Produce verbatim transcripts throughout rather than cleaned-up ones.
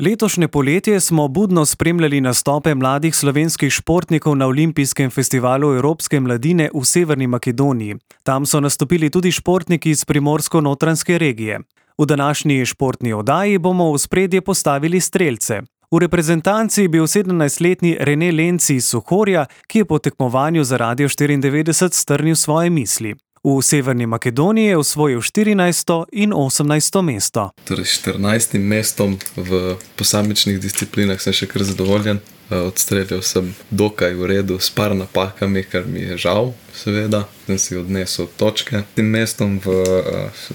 Letošnje poletje smo budno spremljali nastope mladih slovenskih športnikov na Olimpijskem festivalu evropske mladine v Severni Makedoniji. Tam so nastopili tudi športniki iz primorsko-notranjske regije. V današnji športni oddaji bomo v ospredje postavili strelce. V reprezentanci je bil sedemnajstletni Rene Lenci iz Suhorja, ki je po tekmovanju za Radio štiriindevetdeset strnil svoje misli. V Severni Makedoniji je osvojil štirinajsto in osemnajsto mesto. Torej štirinajstim mestom v posamičnih disciplinah sem še kar zadovoljen. Odstreljal sem dokaj v redu s par napakami, kar mi je žal, seveda. Sem si odnesel točke. Tim mestom v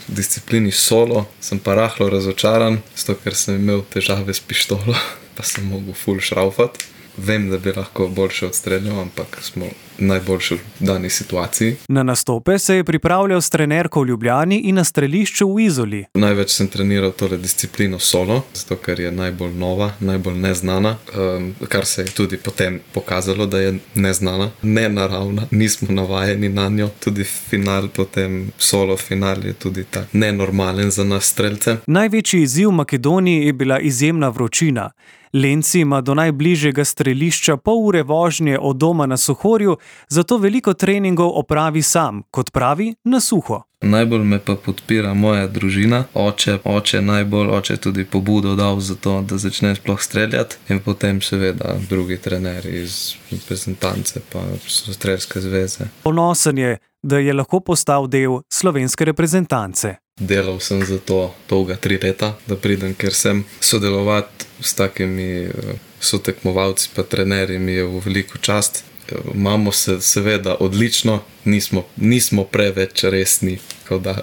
disciplini solo sem pa rahlo razočaran, zato ker sem imel težave s pištolo, pa sem mogel ful šraufati. Vem, da bi lahko boljše odstreljal, ampak smo najboljši v dani situaciji. Na nastope se je pripravljal s trenerko v Ljubljani in na strelišču v Izoli. Največ sem treniral tole disciplino solo, zato ker je najbolj nova, najbolj neznana, um, kar se je tudi potem pokazalo, da je neznana, nenaravna, nismo navajeni na njo. Tudi final, potem solo final je tudi tak nenormalen za nas strelce. Največji izziv v Makedoniji je bila izjemna vročina. Lenci ima do najbližjega strelišča pol ure vožnje od doma na Suhorju, zato veliko treningov opravi sam, kot pravi, na suho. Najbolj me pa podpira moja družina, oče, oče najbolj, oče tudi pobudo dal za to, da začne sploh streljati, in potem seveda drugi trenerji iz reprezentance pa strelske zveze. Ponosen je, da je lahko postal del slovenske reprezentance. Delal sem za to dolga tri leta, da pridem, ker sem sodelovati s takimi sotekmovalci pa trenerji mi je v veliko čast. Imamo se seveda odlično, nismo, nismo preveč resni, kot da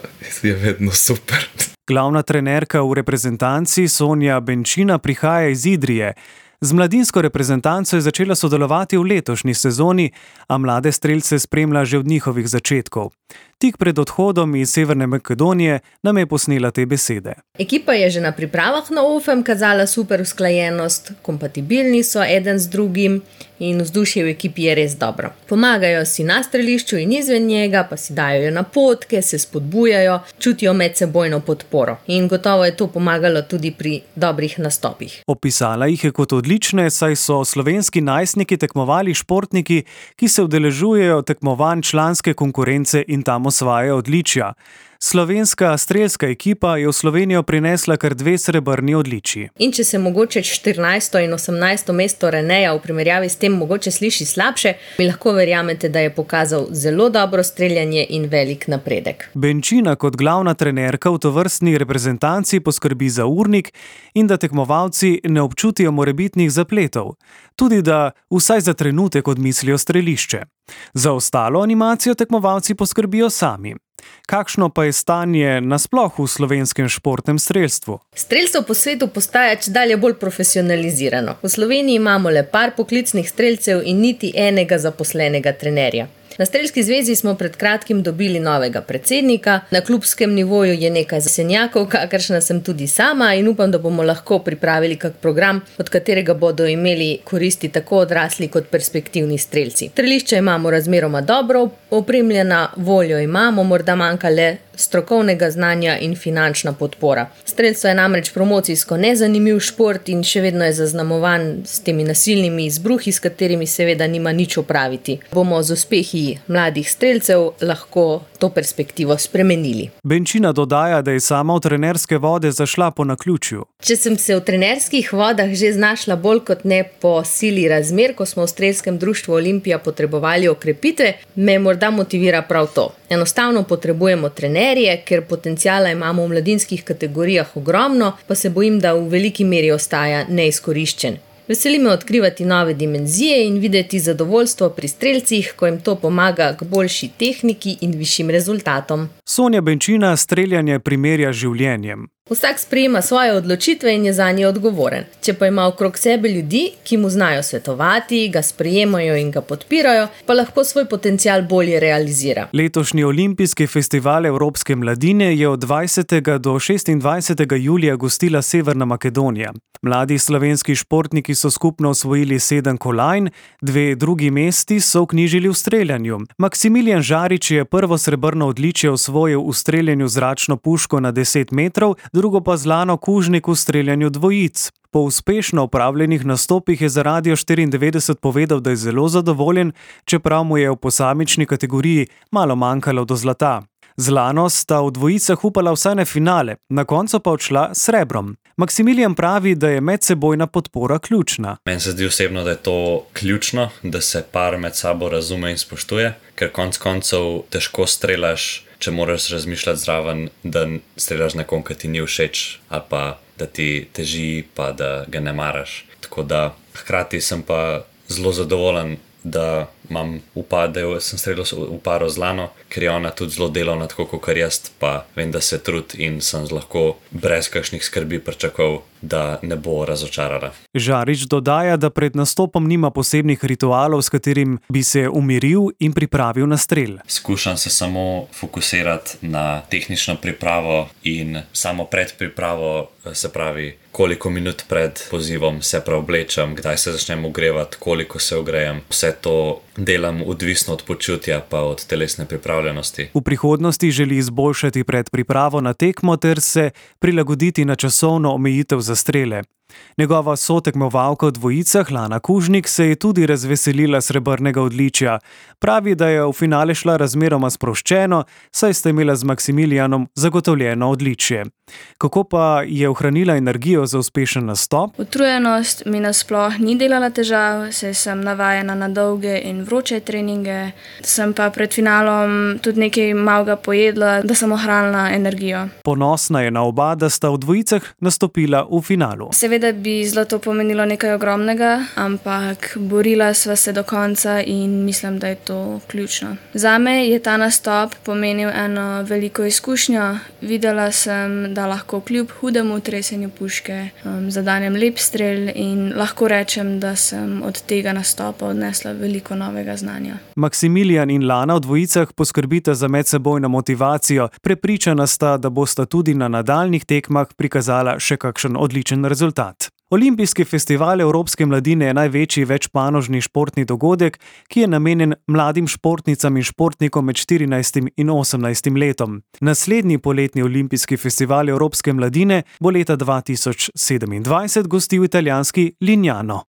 je vedno super. Glavna trenerka v reprezentanci Sonja Benčina prihaja iz Idrije. Z mladinsko reprezentanco je začela sodelovati v letošnji sezoni, a mlade strelce spremlja že od njihovih začetkov. Tik pred odhodom iz Severne Makedonije nam je posnela te besede. Ekipa je že na pripravah na O F E M kazala super usklajenost, kompatibilni so eden z drugim in vzdušje v ekipi je res dobro. Pomagajo si na strelišču in izven njega, pa si dajo napotke, se spodbujajo, čutijo medsebojno podporo. In gotovo je to pomagalo tudi pri dobrih nastopih. Opisala jih je kot odlične, saj so slovenski najstniki tekmovali športniki, ki se udeležujejo tekmovanj članske konkurence in tam osvajajo odličja. Slovenska strelska ekipa je v Slovenijo prinesla kar dve srebrni odličji. In če se mogoče štirinajsto in osemnajsto mesto Reneja v primerjavi s tem mogoče sliši slabše, mi lahko verjamete, da je pokazal zelo dobro streljanje in velik napredek. Benčina kot glavna trenerka v tovrstni reprezentanci poskrbi za urnik in da tekmovalci ne občutijo morebitnih zapletov. Tudi da vsaj za trenutek odmislijo strelišče. Za ostalo animacijo tekmovalci poskrbijo sami. Kakšno pa je stanje nasploh v slovenskem športnem strelstvu? Strelstvo po svetu postaja čedalje bolj profesionalizirano. V Sloveniji imamo le par poklicnih strelcev in niti enega zaposlenega trenerja. Na Strelski zvezi smo pred kratkim dobili novega predsednika, na klubskem nivoju je nekaj zasenjakov, kakršna sem tudi sama, in upam, da bomo lahko pripravili kak program, od katerega bodo imeli koristi tako odrasli kot perspektivni strelci. Strelišča imamo razmeroma dobro opremljena, voljo imamo, morda manjka le strokovnega znanja in finančna podpora. Strelstvo je namreč promocijsko nezanimiv šport in še vedno je zaznamovan s temi nasilnimi izbruhi, s katerimi seveda nima nič opraviti. Bomo z uspehi mladih strelcev lahko to perspektivo spremenili. Benčina dodaja, da je sama v trenerske vode zašla po naključju. Če sem se v trenerskih vodah že znašla bolj kot ne po sili razmer, ko smo v Strelskem društvu Olimpija potrebovali okrepitve, me morda motivira prav to. Enostavno potrebujemo trenerje, ker potenciala imamo v mladinskih kategorijah ogromno, pa se bojim, da v veliki meri ostaja neizkoriščen. Veseli me odkrivati nove dimenzije in videti zadovoljstvo pri strelcih, ko jim to pomaga k boljši tehniki in višjim rezultatom. Sonja Benčina streljanje primerja z življenjem. Vsak sprejema svoje odločitve in je zanje odgovoren. Če pa ima okrog sebe ljudi, ki mu znajo svetovati, ga sprejemajo in ga podpirajo, pa lahko svoj potencial bolje realizira. Letošnji Olimpijski festival evropske mladine je od dvajsetega do šestindvajsetega julija gostila Severna Makedonija. Mladi slovenski športniki so skupno osvojili sedem kolajn, dve drugi mesti so vknjižili v streljanju. Maksimilijan Žarič je prvo srebrno odličje osvojil v streljanju zračno puško na deset metrov, drugo pa Zlano Kužnik v streljanju dvojic. Po uspešno opravljenih nastopih je za Radio štiriindevetdeset povedal, da je zelo zadovoljen, čeprav mu je v posamični kategoriji malo manjkalo do zlata. Z Lano sta v dvojicah upala vsaj na finale, na koncu pa odšla s srebrom. Maksimilijan pravi, da je medsebojna podpora ključna. Meni se zdi osebno, da je to ključno, da se par med sabo razume in spoštuje, ker konec koncev težko strelaš, če moraš razmišljati zraven, da strelaš nekom, ki ti ni všeč, ali pa da ti teži, pa da ga ne maraš. Tako da hkrati sem pa zelo zadovoljen, da imam upad, da sem streljal v paro z Lano, ker je ona tudi zelo delovna, tako kot jaz, pa vem, da se trudi in sem lahko brez kakšnih skrbi pričakoval, da ne bo razočarala. Žarič dodaja, da pred nastopom nima posebnih ritualov, s katerim bi se umiril in pripravil na strel. Skušam se samo fokusirati na tehnično pripravo in samo predpripravo, se pravi, koliko minut pred pozivom se preoblečem, kdaj se začnem ogrevati, koliko se ogrejem. Vse to delam odvisno od počutja pa od telesne pripravljenosti. V prihodnosti želi izboljšati predpripravo na tekmo ter se prilagoditi na časovno omejitev za strele. Njegova sotekmovalka v dvojicah, Lana Kužnik, se je tudi razveselila srebrnega odličja. Pravi, da je v finale šla razmeroma sproščeno, saj sta imela z Maksimilijanom zagotovljeno odličje. Kako pa je ohranila energijo za uspešen nastop? Utrujenost mi nasploh ni delala težav, saj sem navajena na dolge in vroče treninge. Sem pa pred finalom tudi nekaj malega pojedla, da sem ohranila energijo. Ponosna je na oba, da sta v dvojicah nastopila v finalu. Seveda bi zlato pomenilo nekaj ogromnega, ampak borila sva se do konca in mislim, da je to ključno. Zame je ta nastop pomenil eno veliko izkušnjo. Videla sem, da lahko kljub hudemu tresenju puške um, zadanem lep strel in lahko rečem, da sem od tega nastopa odnesla veliko novega znanja. Maksimilijan in Lana v dvojicah poskrbita za medsebojno motivacijo. Prepričana sta, da bosta tudi na nadaljnjih tekmah prikazala še kakšen odličen rezultat. Olimpijski festival Evropske mladine je največji večpanožni športni dogodek, ki je namenjen mladim športnicam in športnikom med štirinajstim in osemnajstim letom. Naslednji poletni olimpijski festival Evropske mladine bo leta dva tisoč sedemindvajset gostil italijanski Lignano.